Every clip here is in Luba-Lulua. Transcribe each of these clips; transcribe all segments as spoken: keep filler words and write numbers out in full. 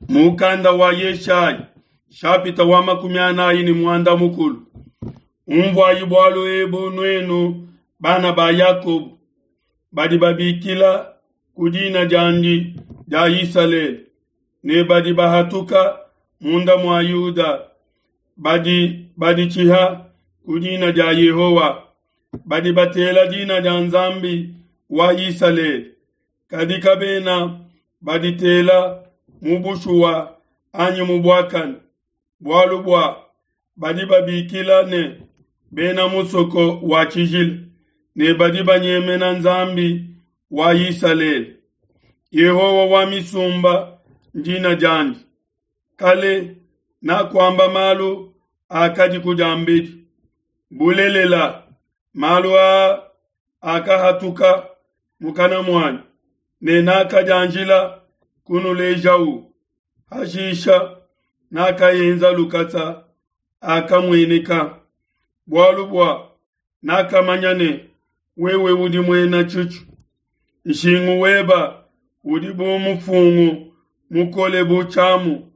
Mukanda wa Yeshaya, nshapita wa makumi anayi ne muanda mukulu. Umvuayi bualu ebu nuenu bana ba Yakobo, badi babikila ku dina diandi dia Isalele, ne badi bahatuka munda mua Yuda, badi baditshiha ku dina dia Yehowa, badi batela dina dia Nzambi wa Isalele, kadi kabena baditela mu bushuwa anyi mu buakane, bualu bua badi babikila ne bena musoko wa tshijila, ne badi banyemena Nzambi wa Isalele. Yehowa wa misumba ndina diandi. Kale nakuamba malu akadiku diambedi, bulelela malu aa akahatuka mukana muanyi, ne nakadianjila kunulejau. Hashisha nakaenza lukasa akamueneka, bualu bua nakamanya ne wewe udi muena tshitshu. Nshingu weba udi bu mufungu mukole bu tshiamu,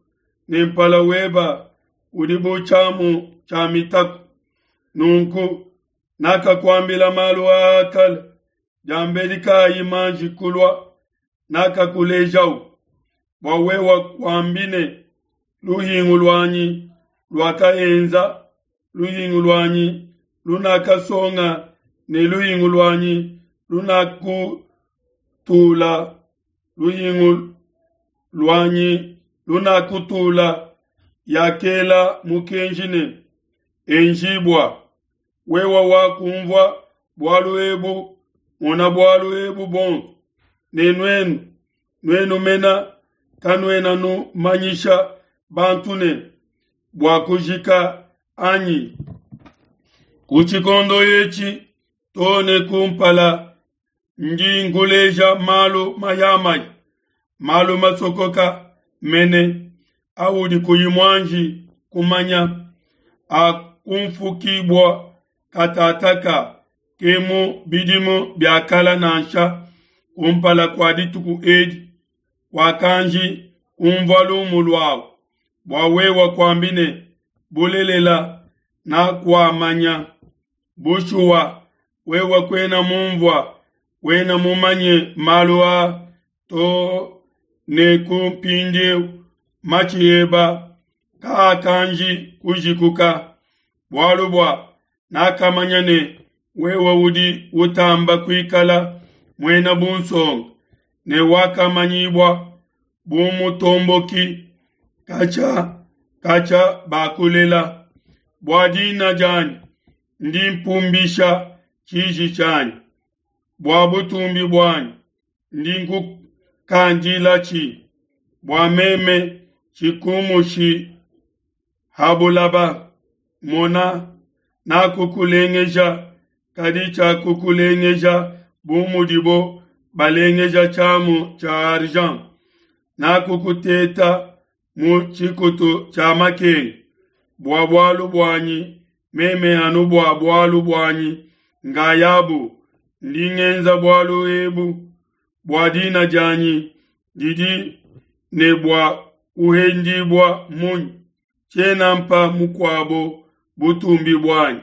ne mpala weba udi bu tshiamu tshia mitaku. Nunku nakakuambila malu aa kale, diambedi kayi manji kulua, nakakulejau, bua wewe kuambi ne, luhingu luanyi luakaenza, luhingu luanyi lunakasonga ne luhingu luanyi lunakutula, luhingu luanyi lunakutula yakela mukenji ne, enjibua. Wewe wakumvua bualu ebu, mona bualu ebu buonso, ne nuenu, nuenu mena kanuena numanyisha bantu ne bua kujika anyi? Ku tshikondo etshi too ne kumpala ndi nkuleja malu mayamaya, malu masokoka mene audi kuyi muanji kumanya, akumfukibua katataka, ke mu bidimu bia kala nansha kumpala kua dituku edi, wakanji kumvua lumu luawu, bua wewe kuambi ne, bulelela nakuamanya. Bushuwa wewe kuena mumvua, kuena mumanye malu aa too ne ku mpindieu, matshi eba kaakanji kujikuka. Bualu bua nakamanya ne wewe udi utamba kuikala muena bunsonga, ne wakamanyibua bu mutomboki katshia katshia bakulela. Bua dina dianyi ndi mpumbisha tshiji tshianyi, bua butumbi buanyi ndi nkukandilatshi, bua meme tshikumushi ha bulaba. Mona, nakukulengeja, kadi tshiakukulengeja bu mudibo balengeja tshiamu tshia argent. Nakukuteta mu tshikutu tshia makenga, bua bualu buanyi meme anu bua bualu buanyi ngayabu ndi ngenza bualu ebu, bua dina dianyi didi ne bua kuhendibua munyi? Tshiena mpa mukuabo butumbi buanyi.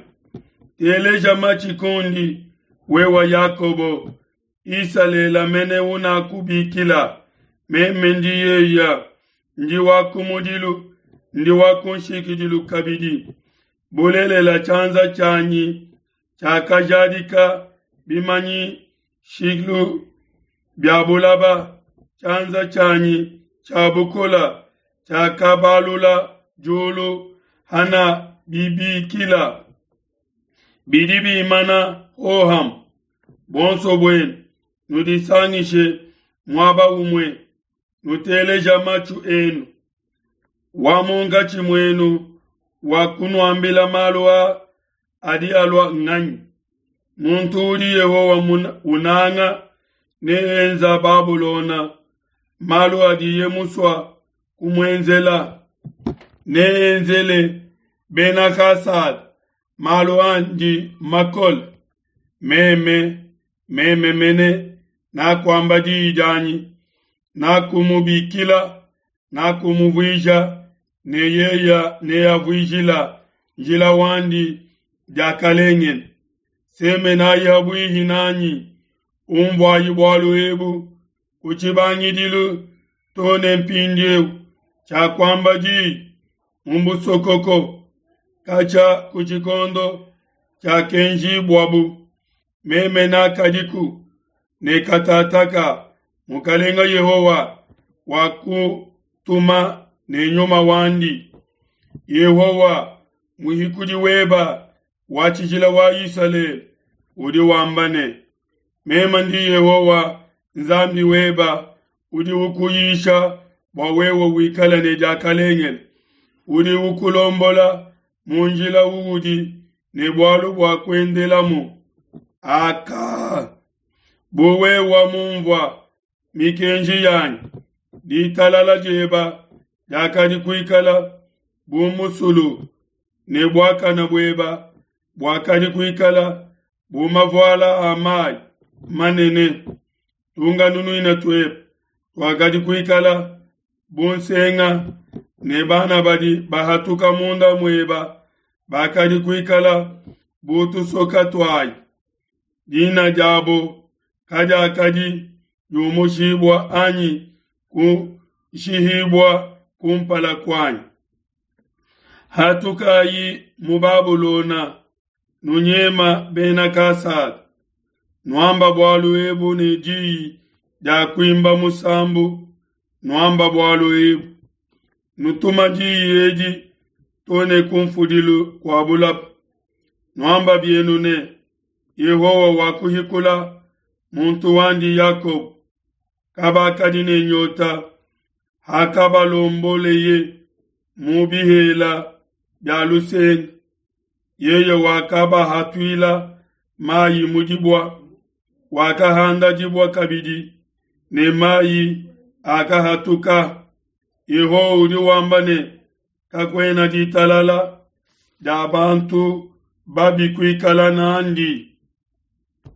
Teleja matshi kundi, wewe Yakobo, Isalele mene unakubikila. Meme ndi yeya, ndi wa kumudilu, ndi wa kunshikidilu kabidi. Bulelela tshianza tshianyi tshiakajadika bimanyishilu bia bulaba, tshianza tshianyi tshia bukola tshiakabalula diulu hana bibikila. Bidi bimana hoham, bonso buenu nudisangishe muaba umue, nuteleja matshu enu. Wa munkatshi muenu wa kunuambila malu a adi alua nganyi? Muntu udi Yehowa unanga ne enza Babulona malu adiye musua kumuenzela, neenzele Bena Kasada malu andi makole. Meme, meme mene nakuamba diyi dianyi, nakumubikila, nakumuvuija, ne yeya neavuijila njila wandi diakalengele. Semenayi habuihi nanyi, umvuayi bualu ebu ku tshibangidilu to ne mpindieu, tshiakuamba diyi mu busokoko, katshia ku tshikondo tshiakenjibuabu. Meme nakadiku ne katataka Mukalenga Yehowa wakutuma ne nyuma wandi. Yehowa muhikudi weba wa tshijila wa Isalele udi wamba ne, meme ndi Yehowa Nzambi weba udi ukuyisha bua wewe wikale ne diakalengele, udi ukulombola mu njila uudi ne bualu bua kuendelamu. Aka, bu wewe mumvua mikenji yanyi, ditalala dieba diakadi kuikala bu musulu, ne buakana bueba buakadi kuikala bu mavuala a mayi manene. Tunganunuina tuebe tuakadi kuikala bu nsenga, ne bana badi bahatuka munda mueba bakadi kuikala bu tusoka tuayi. Dina diabo kadiakadi diumushibua anyi kushihibua kumpala kuanyi. Hatukayi mu Babulona, nunyema bena Kasada. Nuamba bualu ebu ne diyi dia kuimba musambu, nuamba bualu ebu. Nutuma diyi edi to ne kumfudilu kua bulaba. Nuamba bienu ne, Yehowa wakuhikula muntu wandi Yakobo. Kabakadi ne nyota hakabalomboleye mu bihela bia lusenga. Yeye wakabahatuila mayi mu dibua, wakahanda dibua kabidi ne mayi akahatuka. Yehowa udi wamba ne, kakuena ditalala dia bantu babi kuikala nandi.